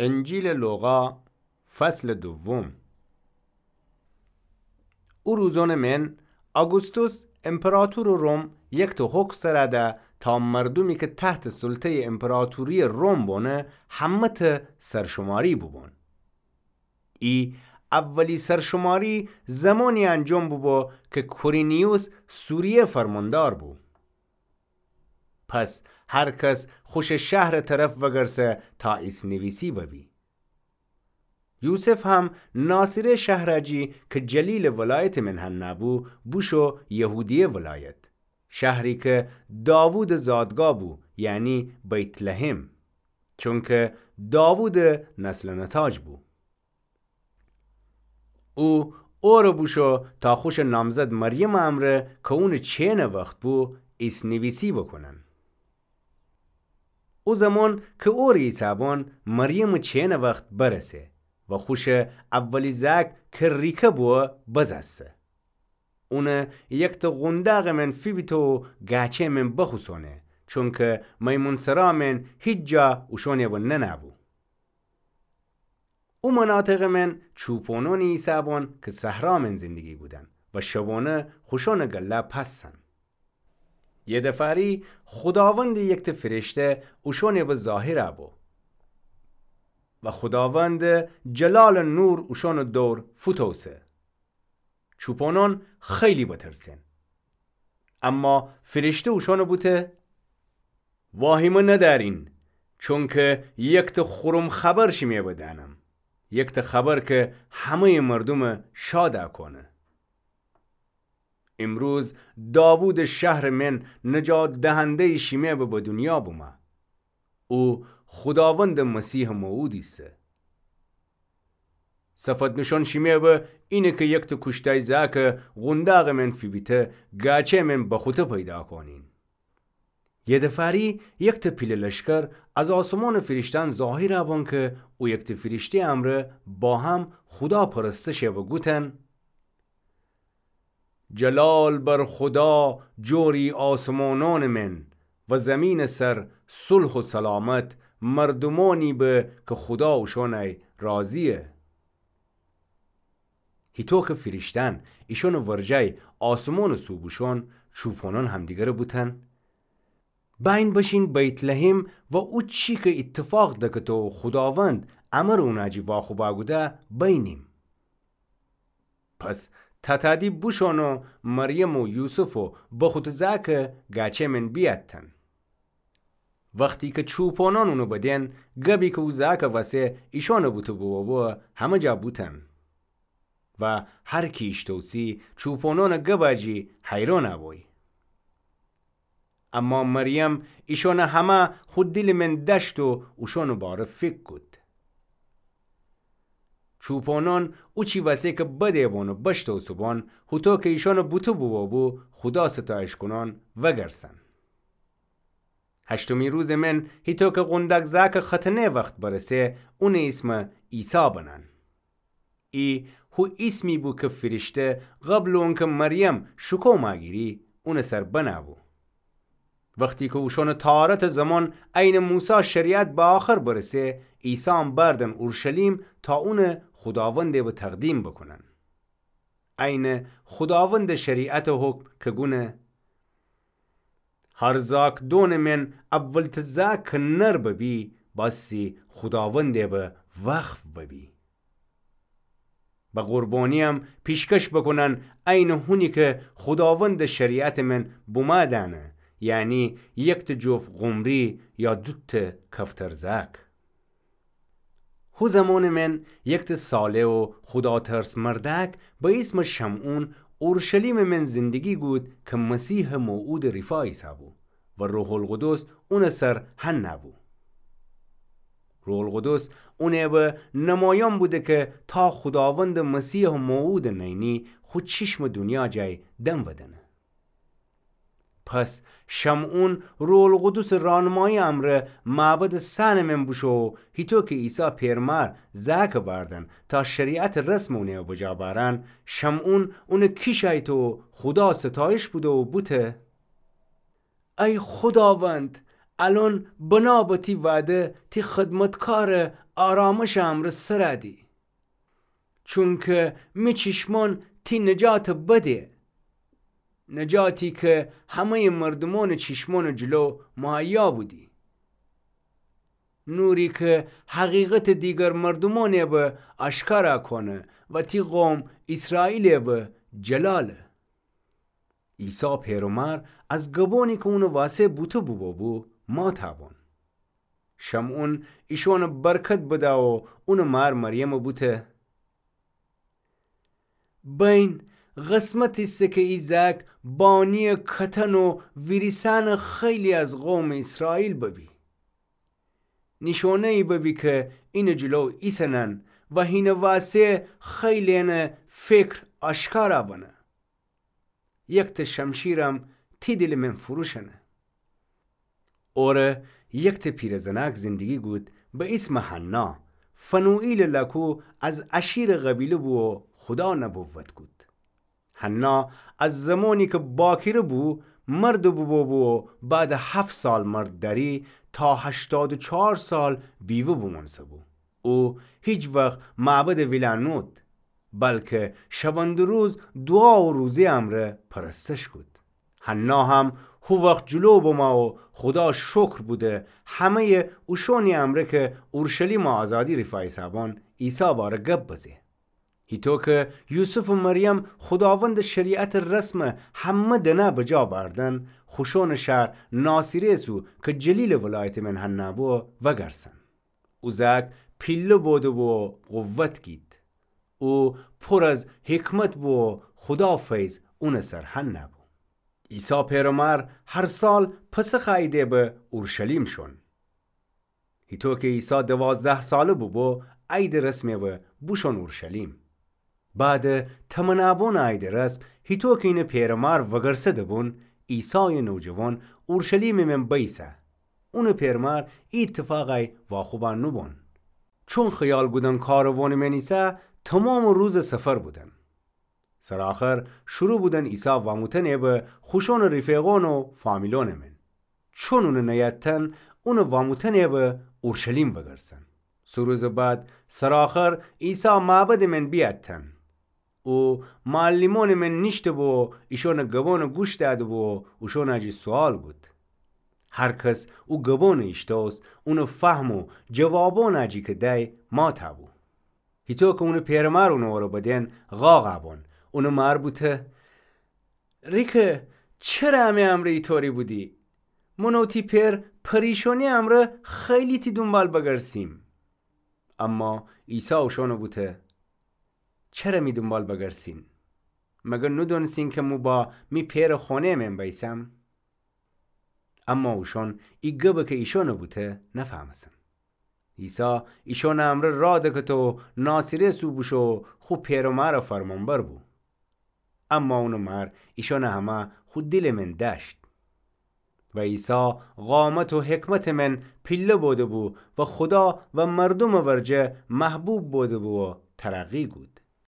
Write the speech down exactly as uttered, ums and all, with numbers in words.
انجیلٚ لوقا، فصلٚ دوم. او روزأنٚ من، آگوستوس امپراطورٚ روم یکته حکم سرا ده تا مردومی کی تحتٚ سلطه‌یٚ امپراطورییٚ روم بونه، همه‌ته سرشماری بوبون. ای اولی سرشماری زمانی انجام بوبو کی کورینیوس سوریه فرماندار بو. پس هر کس خوشٚ شهرٚ طرف وگرسه تا اسم‌نویسی ببی. یوسف هم ناصره شهرا جی کی جلیلٚ ولایتٚ من هنه بو، بوشو یهودیه ولایت، شهری کی داوودٚ زادگاه بو، یعنی بیت‌لحم، چونکی داوودٚ نسل و نتاج بو. او اوره بوشو تا خوشٚ نامزد مریمٚ امرأ کی اونٚ چینٚ وخت بو، اسم‌نویسی بوکونن. او زمان کی اوره ایسه‌بون، مریمٚ چینٚ وخت برسه و خوشٚ اولی زأک کی ریکه بو، بزأسه. اونه یکته قونداقٚ من فیبیته و گاچه من بخوسونه، چونکی میمون‌سرا من هیچ جا اوشانه بو ننه‌بو. او مناطقٚ من چوپانانی ایسه‌بون کی صحرا من زندگی کودن و شبانه خوشانٚ گله پستن. یه دفاری خوداوندٚ یکته فرشته اوشانٚ به ظاهر بو و خوداوندٚ جلالٚ نور اوشانٚ دور فوتوسه. چوپانان خیلی بترسن. اما فرشته اوشانٚ بوته: واهیمه ندأرین، چونکی یکته خورم خبر شیمه بدأنم، یکته خبر کی همه‌یٚ مردومه شاد کونه. امروز داوودٚ شهرٚ من نجات دهنده‌یٚ شیمه به به دونیا بومه. او خوداوندٚ مسیحٚ موعود ایسه. صفت نشان شیمه به اینه کی یکته کوشتای زأکه قونداقٚ من فیبیته، گاچه من بخوته پیدا کونین. یه دفاری یکته پیله لشکر از آسمانٚ فرشته‌یأن ظاهر بون کی او یکته فرشته‌یٚ امرأ با هم خودا پرستش به گوتن: جلال بر خودا جوری آسمانانٚ من و زمینٚ سر صلح و سلامت مردومانی به کی خودا اوشانه راضییه. هیطو کی فرشته‌یأن ایشانٚ ورجه آسمانٚ سو بوشون، چوپانان همدیگره بوتن: بأیین بشین بیت‌لحم و او چی کی ایتفاق دکته و خوداوند امر اونٚ جی واخوب کوده بینیم. پس تاتادی بوشون و مریم و یوسف و بخوته زأکه گاچه من بیأتن. وختی کی چوپانان اونه بدن، گبی کی او زأکٚ وسه ایشانٚ بوته بوبو، همه جا بوتن. و هر کی ایشتوسی چوپانانٚ گبٚ جی حیران بوی. اما مریم ایشانٚ همه خو دیلٚ من دأشت و اوشانٚ باره فیکر کود. چوپانان اوچی وسه کی بده‌بان و بشتوسه‌بان، هوطو کی ایشانٚ بوته بوبو، خودا ستایش کونان وگرسن. هشتمی روزٚ من، هیطو کی قونداک زأکٚ ختنه وخت برسه، اونٚ ایسمٚ عیسی بنن. ای هو ایسمی بو کی فرشته قبلٚ اونکی مریم شکوم گیری، اونٚ سر بنه‌بو. وختی کی اوشانٚ طهارتٚ زمان عینٚ موسی شریعت به آخر برسه، عیسام بردن اورشلیم تا اونٚ خوداوندٚ به تقدیم بوکونن. عینٚ خوداوندٚ شریعتٚ حکم کی گونه: هر زأکدونٚ من اولته زأک کی نر ببی، بأسی خوداوندٚ به وقف ببی. به قربانییم پیشکش بوکونن عینٚ هونی کی خوداوندٚ شریعتٚ من بومه دأنه، یعنی یکته جوف قمری یا دوته کفتر زأک. هو زمانٚ من یکته صالح و خوداترس مردأک به ایسمٚ شمعون اورشلیمٚ من زندگی کود کی مسیحٚ موعودٚ رفا ایسه‌بو و روح‌القدس اونٚ سر هنه‌بو. روح‌القدس اونٚ به نمایان بوده کی تا خوداوندٚ مسیحٚ موعودٚ نئنی خو چشمٚ دونیا جای دم بدنه. پس شمعون روح‌القدسٚ رانمایی امرأ معبدٚ صحنٚ من بوشو و هیطو کی عیسی پئرمار زأکٚ بأردن تا شریعتٚ رسمٚ اونٚ بجا بأرن، شمعون اونٚ کیشأیته و خودا ستایش بوده و بوته: ای خوداوند، الأن بنا به تی وعده تی خدمتکارٚ آرامشٚ امرأ سرَ دی. چونکه می چشمأن تی نجاتَ بده، نجاتی که همه‌یٚ مردومأنٚ چشمأنٚ جلو مهیا بودی. نوری که حقیقتَ دیگر مردومأنَ به آشکارا کونه و تی قوم ایسرائیلَ به جلاله. عیسی پئر و مار از گبأنی که اونٚ واسه بوته بوبوبو ماتَ بون. شمعون ایشأنَ برکت بده و اونٚ مار مریمَ بوته: بین، قسمت ایسه که ای زأک بانی‌یٚ کتن و ویریسأنٚ خیلی از قومٚ ایسرائیل ببی. نیشأنه‌یی ببی که اینٚ جلو ایسه‌نن و هینٚ واسه خیلی‌یٚنٚ فکر آشکارا بنه. یکتأ شمشیرم تی دیلٚ من فروشأنه. اوره یکتأ پیرزنأک زندگی کود به ایسمٚ حنا، فنوئیلٚ لأکو، از آشیرٚ قبیله بو و خودا نبوت کود. حنا از زمانی که باکره بو، مرد بوبوبو و بعدٚ هفت سال مرد دأری، تا هشتاد و چهار سال بیوه بومأنسه‌بو. او هیچ وخت معبدٚ ویلا نود، بلکه شبأنٚ روز دوعا و روزه امرأ پرستش کود. حنا هم هو وخت جلو بمه و خودا شکر بوده، همه‌یٚ اوشأنی امرأ که اورشلیمٚ آزادی ریفایسه‌بون، عیسی باره گب بزه. هیطو که یوسف و مریم خوداوندٚ شریعتٚ رسمٚ همه دنه بجا بأردن، خوشأنٚ شهر ناصرت سو که جلیلٚ ولایتٚ من حنا بو، وگرسن. او زأک پیله بوده‌بو و قوت گید. او پور از حکمت بو و خودا فیض اونٚ سر حنا بو. عیسی پئر و مار هر سال پسخ عیده به اورشلیم شون. هیطو که عیسی دوازده ساله بوبو، عیدٚ رسمٚ به بوشون اورشلیم. بعدٚ تمنابونٚ عیدٚ رسم، هیطو که اینٚ پئر و مار وگرسده‌بون، عیسایٚ نوجوان اورشلیمٚ من بیسه. اونٚ پئر و مار ای ایتفاقی واخوبأ نوبون. چون خیال کودن کاروانٚ من ایسه، تومامٚ روزٚ سفر بودن. سرٚ آخر شروع بودن عیسی وأموتنٚ به خوشأنٚ رفیقأن و فامیلأنٚ من. چون اونٚ نیأتتن، اونٚ وأموتنٚ به اورشلیم وگرسن. سه روزٚ بعد سرٚ آخر عیسی معبدٚ من بیأتتن. او معلمأنٚ من نیشته‌بو و ایشأنٚ گبأنٚ گوش دأده‌بو و اوشأنٚ جی سوال کود. هر کس او گبأنٚ ایشتوست، اونٚ فهم و جوابأنٚ جی که دأی ماتَ بو. هیطو که اونٚ پئر و مار اونٚ اوره بدن، قاقَ بون. اونٚ مار بوته: ریکه، چره امی امرأ ایطوری بودی؟ من و تی پئر پریشانی امرأ خیلی تی دونبال بگرسیم. اما عیسی اوشأنَ بوته: چره می دونبال بگرسین؟ مگر نودأنستین که مو با می پئرٚ خونه‌یٚ من بیسم؟ اما اوشأن ای گبَ که ایشأنَ بوته نفهمستن. عیسی ایشأنٚ امرأ راه دکفته و ناصرت سو بوشو و خو پئر و مارٚ فرمانبر بو. اما اونٚ مار ایشأنَ همه خو دیلٚ من دأشت. و عیسی قامت و حکمتٚ من پیله بوده‌بو و خودا و مردومٚ ورجه محبوب بوده‌بو و ترقی کود.